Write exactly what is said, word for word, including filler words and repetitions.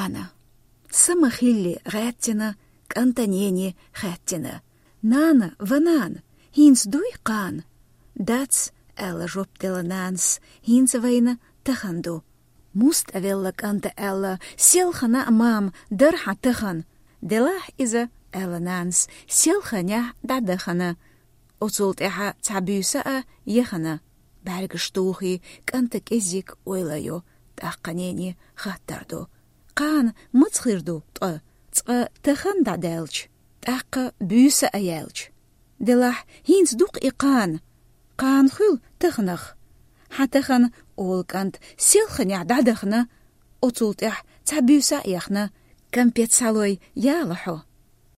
Ана. Са ма хилли гӀаьттина, кӀанта нени хаьттина: «Нана, ва нана, хӀинца дуй кхана?» «Дац», — аьлла жоп делла нанас, — «хӀинца вайна тахан ду». «Муста велла кӀанта?» — аьлла. «Селхана а, мам, дара хьан тахан». «Делахь иза», — аьлла нанас, — «селханехь дӀадахана». Оцул тӀаьхьа цхьа буьйса а яхана. БӀаьргаш тухий, кӀанта кӀеззиг ойла йо, тӀаккха нени хаттар ду: «Кхана маца хир ду ткъа, цкъа тахан дӀадаьлча, тӀаккха буьйса а яьлча?» «Делахь, хӀинца ду-кх и кхана». «Кхана хуьлу таханах». «Хьан тахан, — олу кӀанта, — селханехь дӀадахана, оцул тӀаьхьа цхьа буьйса а яхана. Кампет схьалой, яла хьо».